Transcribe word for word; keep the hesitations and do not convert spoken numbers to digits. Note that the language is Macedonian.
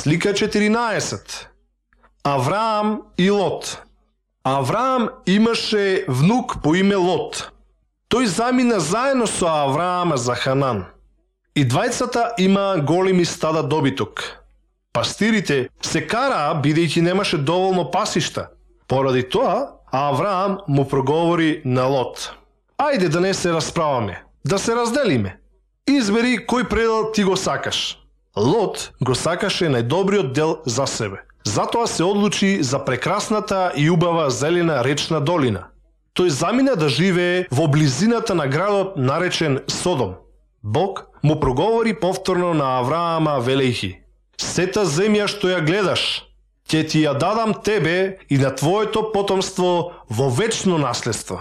Слика четиринаесет. Авраам и Лот. Авраам имаше внук по име Лот. Тој замина заедно со Авраама за Ханан. И двајцата има големи стада добиток. Пастирите се караа бидејќи немаше доволно пасишта. Поради тоа, Авраам му проговори на Лот: ајде да не се расправаме, да се разделиме. Избери кој предел ти го сакаш. Лот го сакаше најдобриот дел за себе. Затоа се одлучи за прекрасната и убава зелена речна долина. Тој замина да живее во близината на градот наречен Содом. Бог му проговори повторно на Авраама велејќи: сета земја што ја гледаш, ќе ти ја дадам тебе и на твоето потомство во вечно наследство.